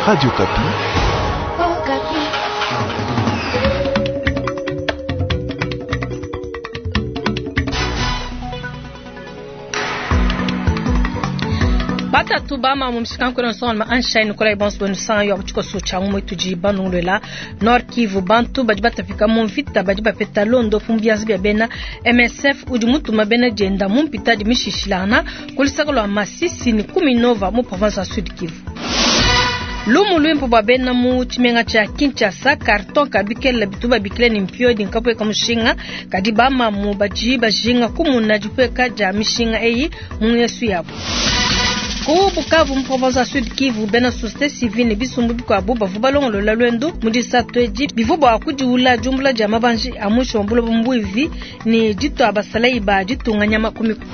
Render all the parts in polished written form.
Radio Okapi. Batatu bama mu mishikanku na nsonga Anshine Nikolai bonso benu sanga yo tshikoso tsha ngumwe tudi banungulwela Nord Kivu bantu badi batapika mu mvita badi bapeta londo mu bianza bia bena MSF udi mutuma bena dienda mu mpita di mishishilana ku lusaka lua Masisi ni Kuminova mu province ya Sud Kivu. Lumu luimpe bua bena mu tshimenga tshia Kinshasa carton kabikela bitu babikila ni mpiodi nkapueka mushinga kadi bamamu badi bajinga kumuna dipueka dia mishinga eyi mu ngesu yabo. Ku Bukavu mu province ya Sud Kivu bena société civile ne bisumbu bikuabu bavua balongolola lwendo mu disatu edi bivua bua kudiula diumbula dia mabanji a mwisho wa buloba mbuivi ne ditua basalayi ba ditunga nyama ku mikolo.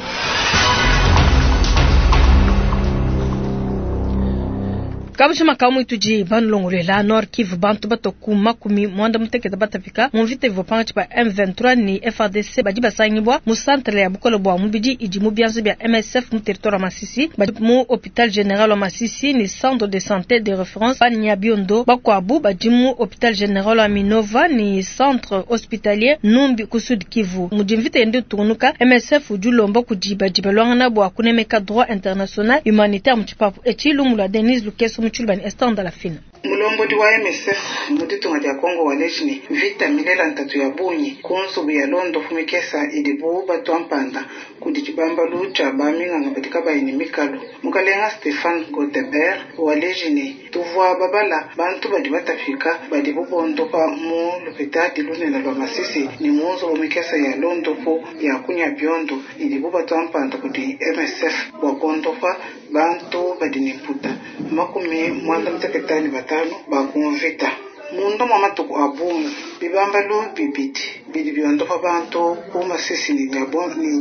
Kabushima kamwe tudi banulongolwela Nord Kivu bantu batoku 60 batapika mu mvita ivua pankatshi pa M23 ni FARDC badi basangibwa mu centre ya bukole bua mubidi idi mu bianza bia MSF mu territoire wa Masisi badi mu hôpital général wa Masisi ni centre de santé de référence pa Nyabiondo bakuabu badi mu hôpital général wa Minova ni centre hospitalier Numbi ku Sud Kivu mudi mvita yende tunuka MSF udi ulomba kudi badi balwangana bua kunemeka droit international humanitaire mu tshipapu etshi lumu lua Denise Lukeso mu Tshilubani Esther Ndalafina. Mulombodi wa MSF mu ditunga dia Kongo waleji ne mvita milela ntatu ya bungi ku nzubu ya londo fumikesa idibu batua mpanda kudi tshibambalu tshia baminganga badi kabayi ne mikalu. Mukalenga Stefan Godebert waleji ne tuvua babala bantu badi batapika badi bubondopa mu lupitadi lunene lua Masisi ne mu nzubu mikesa ya londopo ya kunya biondo idibu batua mpanda kudi MSF bua kondopa bantu badi ne mputa 95 bakumvita munda mwa matuku a bungi bibambalu bibidi bidi biondopa bantu ku Masisi ne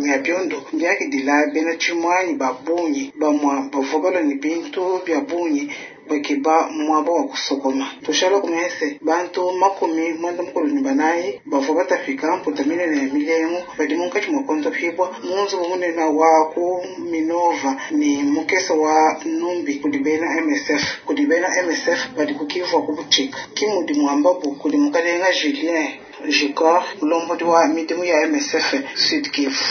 Nyabiondo mbiakidila bena tshimuanyi ba bungi bamua bavua balua ne bintu bia bungi bakeba muaba wa kusokoma. Tushala kumese bantu 94 bavua batapika mputa minene ya milengu badi munkatshi mua kondopibwa mu nzubu munene wa ku Minova ne mukesa wa Numbi kudi bena MSF. Kudi bena MSF badi kukivua ku butshika kimudi muambabu kudi mukalenga Julien Jicor mulombodi wa midimu ya MSF Sud Kivu.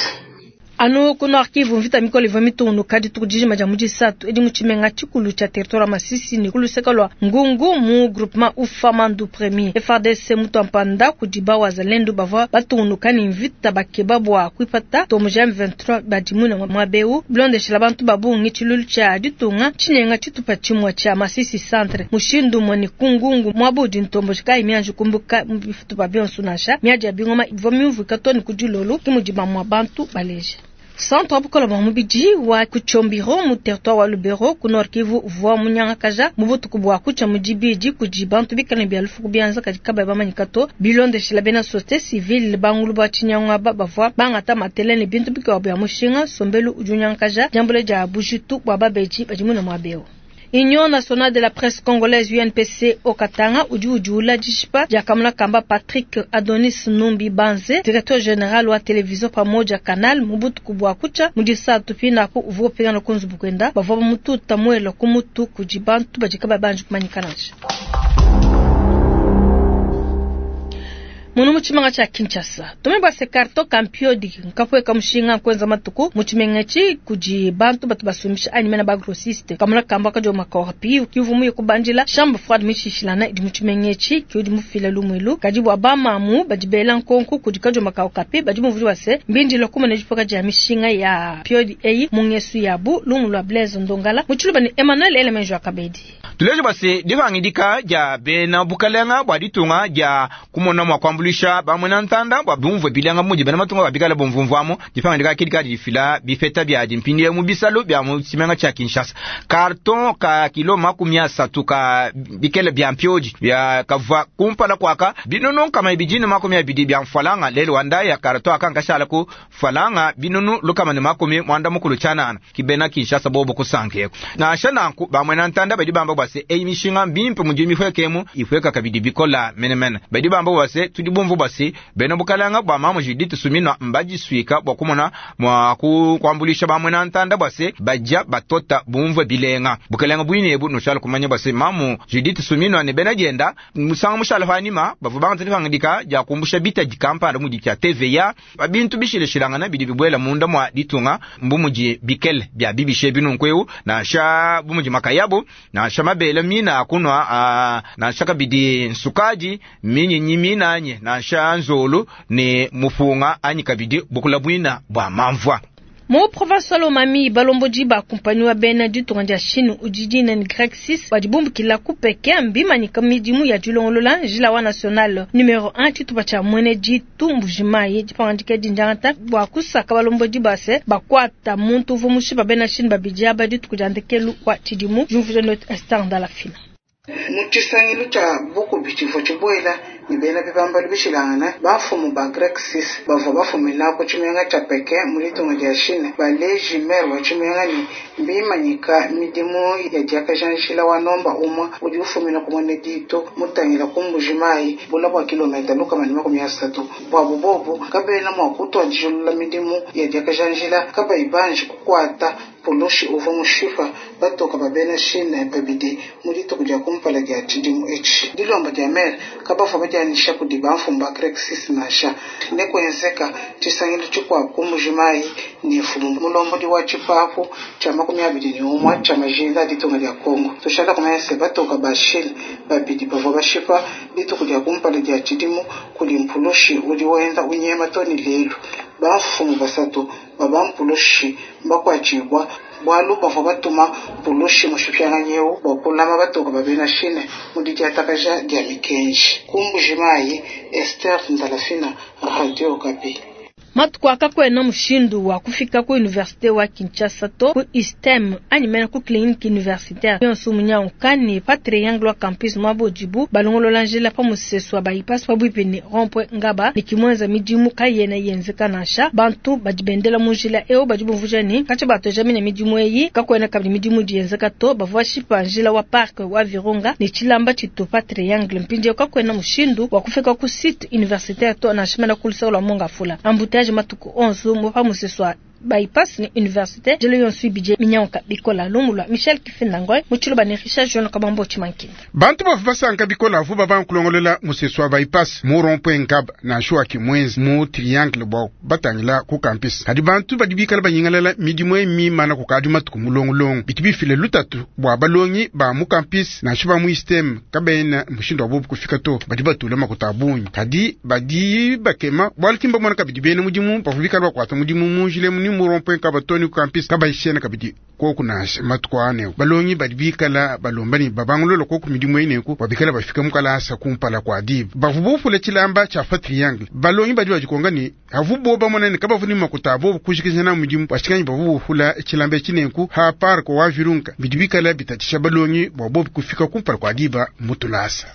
Anu ku Nord Kivu mvita mikole ivua mitungunuka dituku dijima dia mu disatu edi mu tshimenga tshikulu tshia territoire ya Masisi ne ku luseke lua Ngungu mu groupement Ufamandu Premier. FARDC mutua mpanda kudi ba wazalendo bavua batungunuka ne mvita bakeba bua kuipata tomoja M23 badi muine muaba eu bilondeshela bantu ba bungi tshilulu tshia ditunga tshinenga tshitupa tshimue tshia Masisi centre mushindu umue ne ku Ngungu muaba udi ntomboji kayi mianji kumbuka mu bitupa bionso nansha miadi ya bingoma ivua miumvuika too ne ku dilolo ke mudi bamue bantu baleja. Centre wa bukole bua mubidi wa Kuchombiro mu territoire wa Lubero ku Nord Kivu uvua munyangakaja mu butuku bua kutshia mu dibidi kudi bantu bikale bia lufu ku bianza kadi kabayi bamanyika to bilondeshela bena société civile bangulu ba tshinyangu aba bavua bangata matele ne bintu bikuabu bia mushinga nsombelu udi unyangakaja diambula dia bujitu bua babedi badi muine muaba eu. Union nationale de la presse congolaise UNPC Okatanga udi udiula dishipa dia kamuna kamba Patrick Adonis Numbi Banze directeur général wa télévision pamoja Canal mu butuku bua kutshia mu disatu pinapu uvua upingana ku nzubu kuenda bavua bamututa muela ku mutu kudi bantu badi kabayi banji kumanyika nansha. Munu mu tshimenga tshia Kinshasa tume bua se carton kampiodi nkapueka mushinga nkuenza matuku mu tshimenga etshi kudi bantu batu basumbisha anyi mena ba grossiste kamuna kamba kadi makorpi kivu muye kubandila chambre froide mishishilana idi mu tshimenga etshi kiudi mufila lumuelu kadi bua bamamu badi bela nkonko kudi kadi makao kapi badi muvudi wa se mbindila kumana dipoka dia mishinga ya piodi eyi mu ngesu yabu lumu lua Blaise Ndongala mu tshiluba ni Emmanuel Elemenjo Akabedi. Tuleje bua se dipangidika dia bena bukalenga bua ditunga dia kumona mua kuambuluisha bamwena ntanda bua bumvue bilanga mudi bena matunga babikala bumvumvuamu dipangidika kidi kadi difila bifeta bia dimpindie mu bisalu bia mu tshimenga tshia Kinshasa. Carton ka kilo 30 ka bikele bia mpiodi bia kavua kumpala kwaka binunu 220 bia mfalanga lelo wanda ya carton aka nkashala ku falanga binunu 190 kibena Kinshasa bobo kusankeko nansha nanku bamwena ntanda badi bamba bua se eyi mishinga mbimpe mudi mifwekemu ifweka kabidi bikola menemene badi bamba bua se tudi bumvue bua se, bena bukalanga bua mamu Judith Suminwa mbadisuika bua kumona mua kuambuluisha ba muena ntanda bua se, badia batota bumvue bilenga. Bukalanga buine ebu nushala kumanya bua se, mamu Judith Suminwa ne bena dienda musangu mushala panyima bavua bangata dipangadika dia kumbusha bitadi kampanda mudi tshia TVA pa bintu bishilashilangana bidi bibuela munda mua ditunga, bu mudi bikele bia bibisha ebi nunku eu, nansha bu mudi makayabu, nansha mabele mina a kunua, nansha kabidi nsukadi, minyinyi minanyi, nansha nzolu ne mupunga, anyi kabidi bukula buina bua mamvua. Mu province wa Lomami, balombodi ba kumpanyi wa bena ditunga dia Chine udi dina ni Grec 6 badi bumbukila ku Pekin mbimanyika midimu ya dilongolola njila wa national numero 1 tshitupa tshia Mwene Ditu Mbujimayi. Dipangadika edi ndiangata bua kusaka balombodi ba se bakuata muntu uvua mushipa bena Chine babidi aba dituku dia ndekelu wa tshidimu. Diumvuija Note Esther Ndalafina. Mu tshisangilu tshia bukubi tshivua tshibuela ne bena bibambalu bishilangane, bamfumu ba Grec 6 bavua bafumina ku tshimenga tshia Pekin mu ditunga dia Chine baleji maire wa tshimenga ne mbimanyika midimu ya diakaja njila wa nomba umue udi ufumina ku Mwene Ditu mutangila ku Mbujimayi bula bua kilometa 130. Buabu bobu kabena mua kutuadijilula midimu ya diakaja njila kabayi banji kukuata mpulushi uvua mushipa batoka ba bena Chine babidi mu dituku dia kumpala dia tshidimu etshi. Dilomba dia maire kabavua badianyisha kudi bamfumu ba Grec 6 nansha. Ne kuenzeka tshisangilu tshikuabu ku Mbujimayi ne mfumu mulombodi wa tshipapu tshia 21 tshia majinda a ditunga dia Congo. Tushala kumanya se batoka ba Chine babidi bavua bashipa dituku dia kumpala dia tshidimu kudi mpulushi udi wenda unyema too ne lelu. Bamfumu basatu ba bampulushi mbakuatshibua bualu bavua batuma mpulushi mushipianganyi eu bua kulama batoka ba bena Chine mu didiatakaja dia mikenji. Ku Mbujimayi, Esther Ndalafina, Radio Okapi. Matuku aka kuena mushindu wa kufika ku universite wa Kinshasa to ku ISTEM anyi mena ku clinique universitaire yonso munyanguka ne pa triangle wa campus muaba udibu balongolola njila pa musesu wa bypass pabuipi ne rond-point Ngaba ne kimuenza midimu kayena yenzeka nansha. Bantu badi bendela mu njila eu badi bumvuija ne katshia batueja mine midimu eyi kakuena kabidi midimu idi yenzeka to. Bavua bashipa njila wa parc wa Virunga ne tshilamba tshitu pa triangle. Mpindieu kakuena mushindu wa kufika ku site universitaire to nansha mena ku luseke lua Mongafula. Embouteillage matuku onso mu pa musesu wa bypass ne universite njila yonso ibidi minyanguka bikola. Lumu lua Michel Kifinda Ngoy mu tshiluba ne Richard John Kabambo Tshimankinda. Bantu bavua basanka bikola avu babanga kulongolola musesu wa bypass mu rond-point Ngaba nansha wa Kimwenza mu triangle bua batangila ku campus. Kadi bantu badi bikala banyingalala midimu eyi mimana kukadi matuku mulongolongo. Bitu bifila lutatu bua balongi ba mu campus nansha ba mu ISTEM kabena mushindu wa bobu kufika to. Badi batula makuta a bungi kadi badi bakema bualu ki mbamona kabidi bena mudimu bavua bikala bakuata mudimu mu njila emu ni mu rond-point Ngaba to ni ku campus kabayishena kabidi koku nansha matuku aa neku. Balongi badi bikala balomba ne babangulula koku midimu eyi neku bua bikala bafika mu kalasa kumpala kua diba. Bavua bupula tshilamba tshia pa triangle. Balongi badi badikonga ne avu bobu bamona ne kabavu ne makuta a bobu kujikija nawu midimu bashikanyi bavua bupula tshilamba etshi neku ha park wa Virunga bidi bikala bitatshisha balongi bua bobu kufika kumpala kua diba mu tulasa.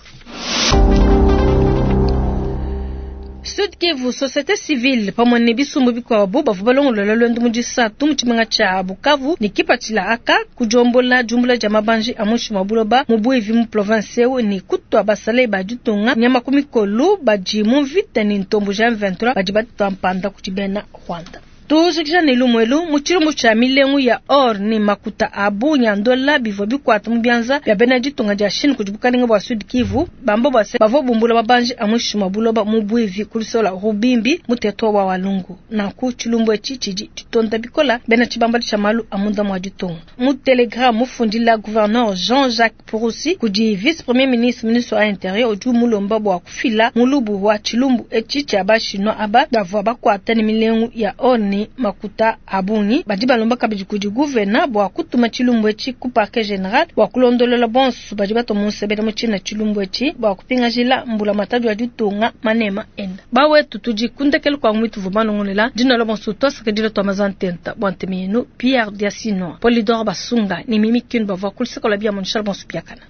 Sud Kivu, société civile pamue ne bisumbu bikuabu bavua balongolola luendu mu disatu mu tshimenga tshia Bukavu ne kipatshila aka kudiombola diumbula dia mabanji a muinshi mua buloba mu buivi mu province eu ne kutua basalayi ba ditunga nyama ku mikolu badi mu mvita ne ntombo ja M23 badi batua mpanda kudi bena Rwanda. Tujikija ne lumu elu mu tshilumbu tshia milengu ya or ne makuta a bungi a ndola bivua bikuata mu bianza bia bena ditunga dia Chine kudi bukalenge bua Sud Kivu bamba bua se bavua bumbula mabanji a muinshi mua buloba mu buivi ku luseke lua Rubimbi mu territoire wa Walungu. Nanku tshilumbu etshi tshidi tshitonda bikola bena tshibambalu tshia malu a munda mua ditunga. Mu telegramme mufundila gouverneur Jean-Jacques Purusi kudi vice premier ministre ministre wa intérieur udi umulomba bua kufila mulubu wa tshilumbu etshi tshia ba chinois aba bavua bakuata ne milengu ya or ne makuta a bungi. Badi balomba kabidi kudi gouverneur bua kutuma tshilumbu etshi ku parquet general bua kulondolola bonso badi batua mu nsebela mu tshina tshilumbu etshi bua kupingajila mbulamatadi wa ditunga manema enda. Bawetu tudi ku ndekelu kua muitu vua balongolela dina la bonso tuasakidila tua mazantenta bua ntema yenu Pierre Diasino Polydor Basunga ne Mimi Kin bavua ku luseke lua bia munishala bonso biakana.